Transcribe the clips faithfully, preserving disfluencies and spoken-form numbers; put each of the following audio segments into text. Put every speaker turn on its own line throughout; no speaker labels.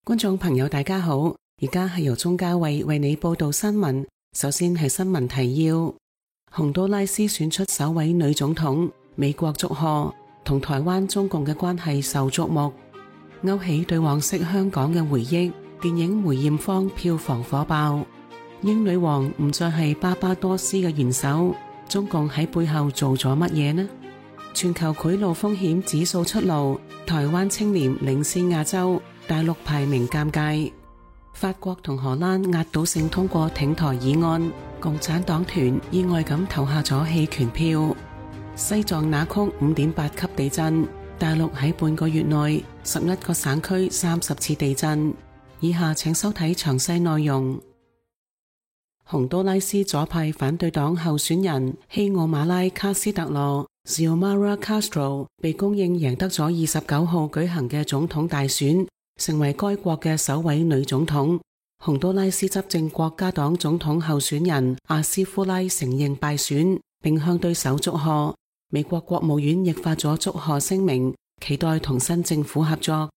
觀眾朋友大家好，而家係由鍾嘉慧為你報道新聞。首先係新聞提要：洪都拉斯選出首位女總統，美國祝賀，同台灣中共嘅關係受矚目，勾起對往昔香港嘅回憶。電影梅艷芳票房火爆，英女王唔再係巴巴多斯嘅元首，中共喺背後做咗乜嘢呢？全球賄賂風險指數出爐，台灣清廉領先亞洲，大陸排名尷尬。法國同荷蘭壓倒性通過挺台議案，共產黨團意外咁投下咗棄權票。西藏那曲五點八級地震，大陸喺半個月內十一個省區三十次地震。以下請收睇詳細內容。洪都拉斯左派反對黨候選人希奧馬拉卡斯特羅 Xiomara Castro 被公認贏得咗二十九號舉行嘅總統大選，成為該國嘅首位女總統。洪都拉斯執政國家黨總統候選人阿斯夫拉承認敗選，並向對手祝賀。美國國務院亦發咗祝賀聲明，期待同新政府合作。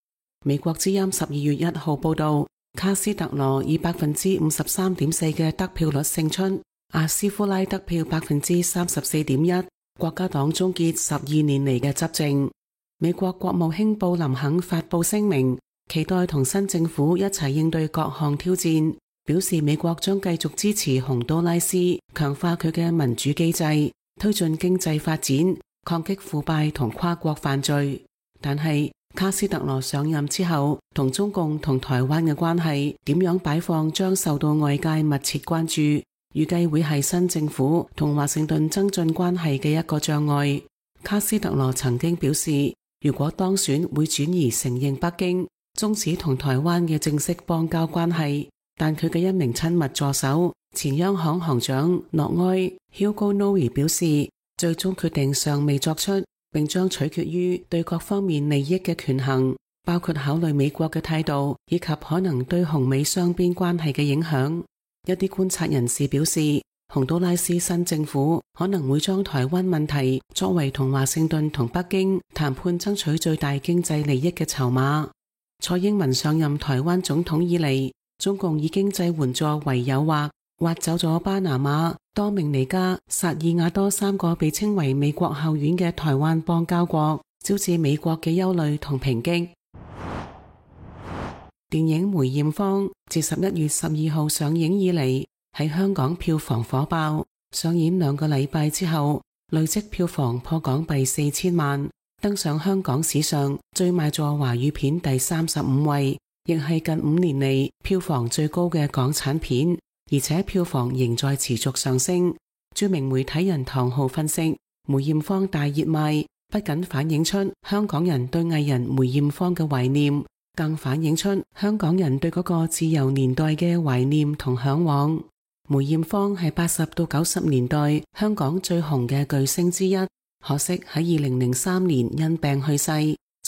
美國之音十二月一號報道，卡斯特羅以百分之五十三點四嘅得票率勝出，阿斯夫拉得票百分之三十四點一，國家黨終結十二年嚟嘅執政。美國國務卿布林肯發佈聲明，期待同新政府一齊應對各項挑戰，表示美國將繼續支持洪都拉斯，強化佢嘅民主機制，推進經濟發展，抗擊腐敗同跨國犯罪。但係卡斯特羅上任之後，同中共同台灣嘅關係點樣擺放將受到外界密切關注，預計會係新政府同華盛頓增進關係嘅一個障礙。卡斯特羅曾經表示，如果當選會轉移承認北京，終止同台灣嘅正式邦交關係。但佢嘅一名親密助手前央行行長諾埃 Hugo Noe 表示，最終決定尚未作出，並將取決於對各方面利益嘅權衡，包括考慮美國嘅態度以及可能對洪美雙邊關係嘅影響。一啲觀察人士表示，洪都拉斯新政府可能會將台灣問題作為同華盛頓同北京談判爭取最大經濟利益嘅籌碼。蔡英文上任台灣總統以嚟，中共以經濟援助為誘惑，挖走咗巴拿馬、多明尼加、薩爾瓦多三個被稱為美國後院嘅台灣邦交國，招致美國嘅憂慮同抨擊。電影梅艷芳自十一月十二號上映以嚟，喺香港票房火爆，上演兩個禮拜之後，累積票房破港幣四千萬，登上香港史上最賣座華語片第三十五位，亦係近五年嚟票房最高嘅港產片。而且票房仍在持續上升。著名媒體人唐浩分析，梅艷芳大熱賣，不僅反映出香港人對藝人梅艷芳嘅懷念，更反映出香港人對嗰個自由年代嘅懷念同向往。梅艷芳係八十到九十年代香港最紅嘅巨星之一，可惜喺二零零三年因病去世，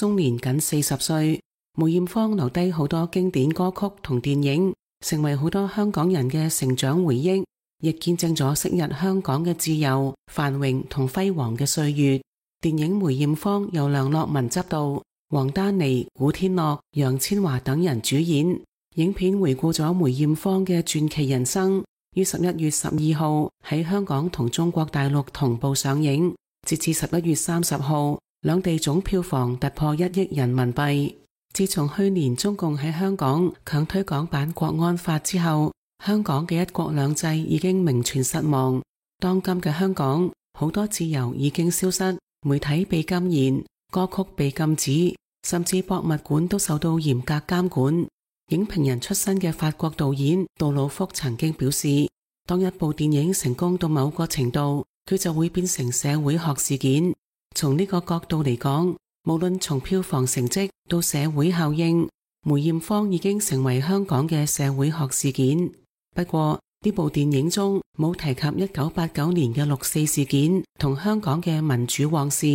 終年僅四十歲。梅艷芳留低好多經典歌曲同電影，成為好多香港人嘅成長回憶，亦見證咗昔日香港嘅自由、繁榮同輝煌嘅歲月。電影梅艷芳由梁樂文執導，王丹妮、古天樂、楊千嬅等人主演。影片回顧咗梅艷芳嘅傳奇人生，於十一月十二號喺香港同中國大陸同步上映。截至十一月三十號，兩地總票房突破一億人民幣。自從去年中共喺香港強推港版國安法之後，香港嘅一國兩制已經名存實亡。當今嘅香港，好多自由已經消失，媒體被禁言，歌曲被禁止，甚至博物館都受到嚴格監管。影評人出身嘅法國導演杜魯福曾經表示，當一部電影成功到某個程度，佢就會變成社會學事件。從呢個角度嚟講，無論從票房成績到社會效應，梅艷芳已經成為香港嘅社會學事件。不過呢部電影中冇提及一九八九年嘅六四事件同香港嘅民主往事。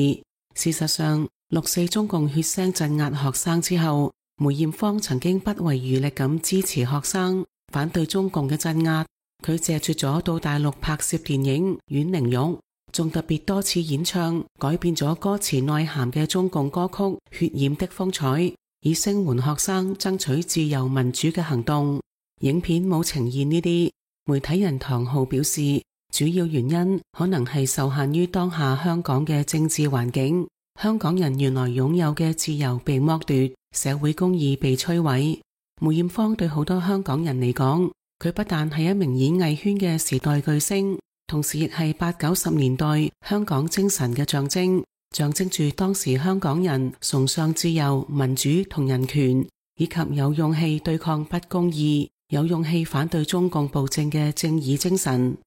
事實上，六四中共血腥鎮壓學生之後，梅艷芳曾經不遺餘力咁支持學生，反對中共嘅鎮壓。佢借住咗到大陸拍攝電影《阮玲玉》，仲特別多次演唱改變咗歌詞內涵嘅中共歌曲《血染的風采》，以聲援學生爭取自由民主嘅行動。影片冇呈現呢啲。媒體人唐浩表示，主要原因可能係受限於當下香港嘅政治環境，香港人原來擁有嘅自由被剝奪，社會公義被摧毀。梅艷芳對好多香港人嚟講，佢不但係一名演藝圈嘅時代巨星，同時亦係八九十年代香港精神嘅象徵，象徵住當時香港人崇尚自由、民主同人權，以及有勇氣對抗不公義，有勇氣反對中共暴政嘅正義精神。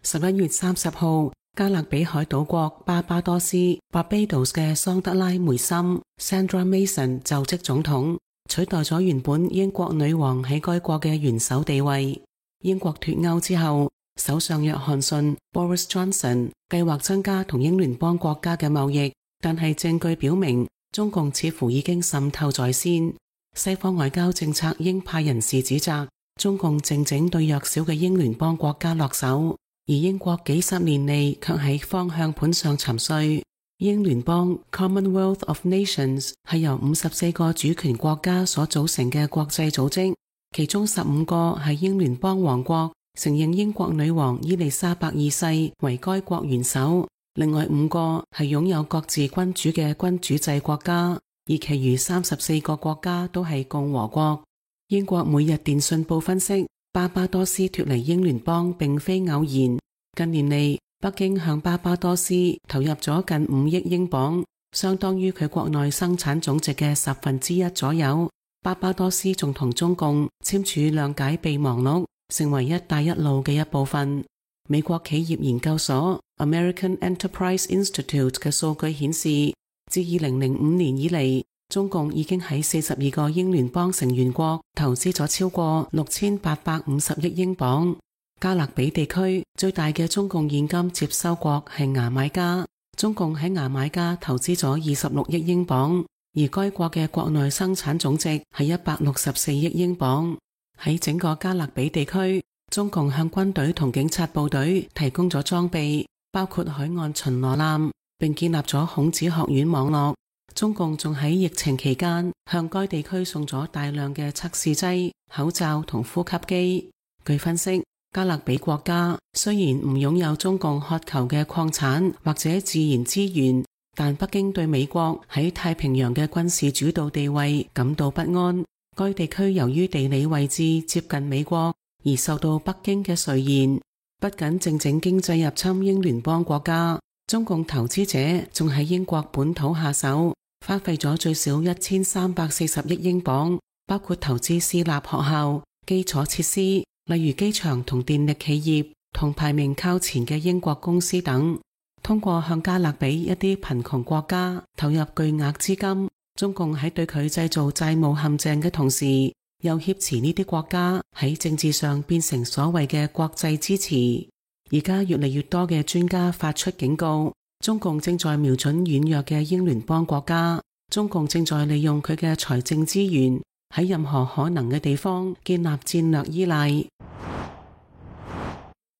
十一月三十號，加勒比海島國巴巴多斯 Barbados 嘅桑德拉梅森 Sandra Mason 就職總統，取代咗原本英國女王喺該國嘅元首地位。英國脫歐之後，首相約翰遜 Boris Johnson 計劃增加同英聯邦國家嘅貿易，但係證據表明中共似乎已經滲透在先。西方外交政策鷹派人士指責中共靜靜對弱小嘅英聯邦國家落手，而英國幾十年嚟卻喺方向盤上沉睡。英聯邦 Commonwealth of Nations 係由五十四個主權國家所組成嘅國際組織，其中十五個係英聯邦王國，承認英國女王伊麗莎白二世為該國元首，另外五個係擁有各自君主嘅君主制國家，而其餘三十四個國家都係共和國。英國每日電訊報分析，巴巴多斯脫離英聯邦並非偶然。近年嚟，北京向巴巴多斯投入咗近五億英鎊，相當於佢國內生產總值嘅十分之一左右。巴巴多斯仲同中共簽署諒解備忘錄，成為一帶一路嘅一部分。美國企業研究所 American Enterprise Institute 嘅數據顯示，自二零零五年以嚟，中共已經喺四十二個英聯邦成員國投資咗超過六千八百五十億英鎊。加勒比地區最大嘅中共現金接收國係牙買加，中共喺牙買加投資咗二十六億英鎊，而該國嘅國內生產總值係一百六十四億英鎊。喺整個加勒比地區，中共向軍隊同警察部隊提供咗裝備，包括海岸巡邏艦，並建立咗孔子學院網絡。中共仲喺疫情期間向該地區送咗大量嘅測試劑、口罩同呼吸機。據分析，加勒比國家雖然唔擁有中共渴求嘅礦產或者自然資源，但北京對美國喺太平洋嘅軍事主導地位感到不安。該地區由於地理位置接近美國，而受到北京嘅垂涎。不僅靜靜經濟入侵英聯邦國家，中共投資者仲喺英國本土下手，花費咗最少一千三百四十億英鎊，包括投資私立學校、基礎設施，例如機場同電力企業，同排名靠前嘅英國公司等。通過向加勒比一啲貧窮國家投入巨額資金，中共喺對佢製造債務陷阱嘅同時，又挾持呢啲國家喺政治上變成所謂嘅國際支持。而家越嚟越多嘅專家發出警告，中共正在瞄準軟弱嘅英聯邦國家，中共正在利用佢嘅財政資源喺任何可能嘅地方建立戰略依賴。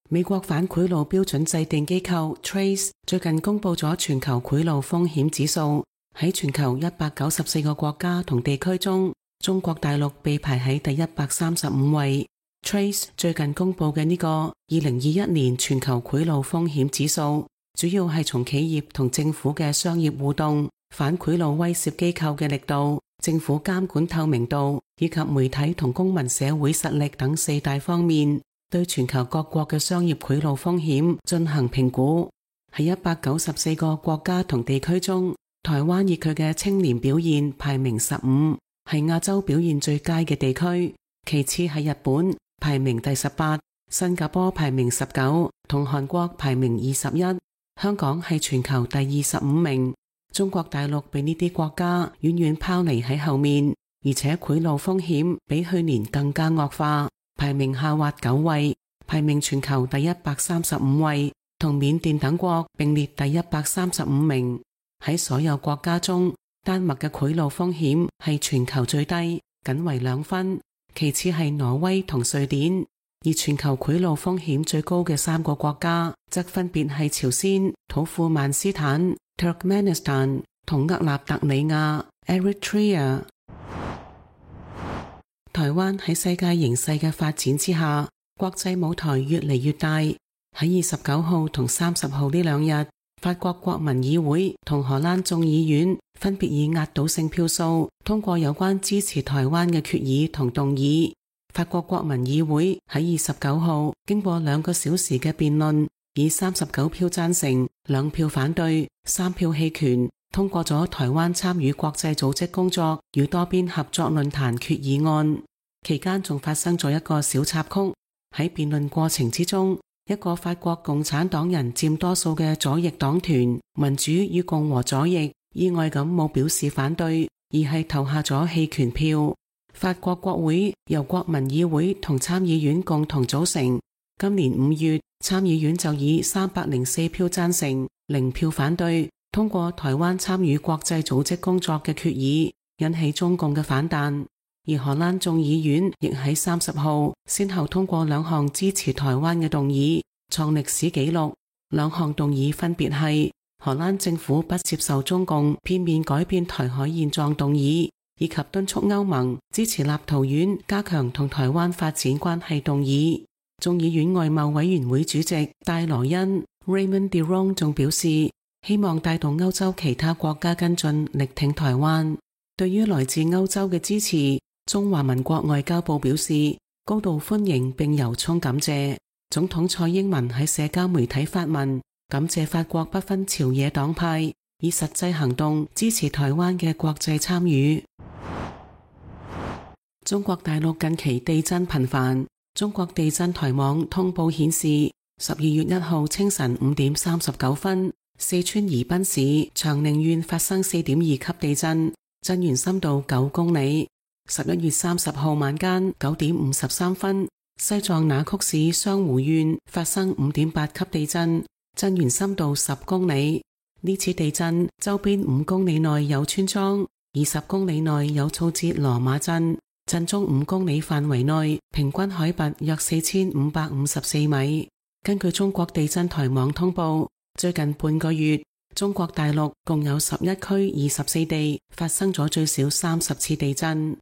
美國反賄賂標準制定機構 Trace 最近公布咗全球賄賂風險指數，喺全球一百九十四個國家同地區中，中國大陸被排喺第一百三十五位。Trace 最近公布嘅呢個二零二一年全球賄賂風險指數，主要係從企業同政府嘅商業互動、反賄賂威懾機構嘅力度、政府監管透明度以及媒體同公民社會實力等四大方面，對全球各國嘅商業賄賂風險進行評估。喺一百九十四個國家同地區中，台灣以佢嘅清廉表現排名十五，係亞洲表現最佳嘅地區，其次係日本，排名第十八，新加坡排名十九，同韓國排名二十一，香港係全球第二十五名。中國大陸被呢啲國家遠遠拋離喺後面，而且賄賂風險比去年更加惡化，排名下滑九位，排名全球第一百三十五位，同緬甸等國並列第一百三十五名。喺所有國家中，丹麥嘅賄賂風險係全球最低，僅為兩分，其次係挪威同瑞典。而全球賄賂風險最高嘅三個國家則分別係朝鮮、土庫曼斯坦 Turkmenistan 同厄立特里亞 Eritrea。台灣喺世界形勢嘅發展之下，國際舞台越嚟越大。喺二十九號同三十號呢兩日，法國國民議會同荷蘭眾議院分別以壓倒性票數通過有關支持台灣嘅決議同動議。法國國民議會喺二十九號經過兩個小時嘅辯論，以三十九票贊成、兩票反對、三票棄權，通過咗台灣參與國際組織工作與多邊合作論壇決議案。期間仲發生咗一個小插曲，喺辯論過程之中，一個法國共產黨人佔多數嘅左翼黨團民主與共和左翼意外咁冇表示反對，而係投下咗棄權票。法國國會由國民議會同參議院共同組成。今年五月，參議院就以三百零四票贊成、零票反對通過台灣參與國際組織工作嘅決議，引起中共嘅反彈。而荷蘭眾議院亦喺三十號先後通過兩項支持台灣嘅動議，創歷史紀錄。兩項動議分別係荷蘭政府不接受中共片面改變台海現狀動議，以及敦促歐盟支持立陶宛加強同台灣發展關係動議。眾議院外貿委員會主席戴羅恩 Raymond Diron 仲表示，希望帶動歐洲其他國家跟進，力挺台灣。對於來自歐洲嘅支持，中華民國外交部表示高度歡迎並由衷感謝。總統蔡英文喺社交媒體發文，感謝法國不分朝野黨派，以實際行動支持台灣嘅國際參與。中國大陸近期地震頻繁，中國地震台網通報顯示，十二月一號清晨五點三十九分，四川宜賓市長寧縣發生四點二級地震，震源深度九公里。十一月三十號晚間九點五十三分，西藏那曲市雙湖縣發生五點八級地震，震源深度十公里。呢次地震周邊五公里內有村莊，二十公里內有措節羅馬鎮，震中五公里範圍內平均海拔約四千五百五十四米。根據中國地震台網通報，最近半個月，中國大陸共有十一區二十四地發生咗最少三十次地震。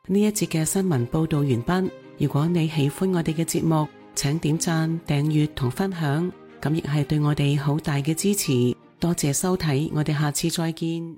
呢一節嘅新聞報道完畢。如果你喜歡我哋嘅節目，請點讚、訂閱同分享，咁亦係對我哋好大嘅支持。多謝收睇，我哋下次再見。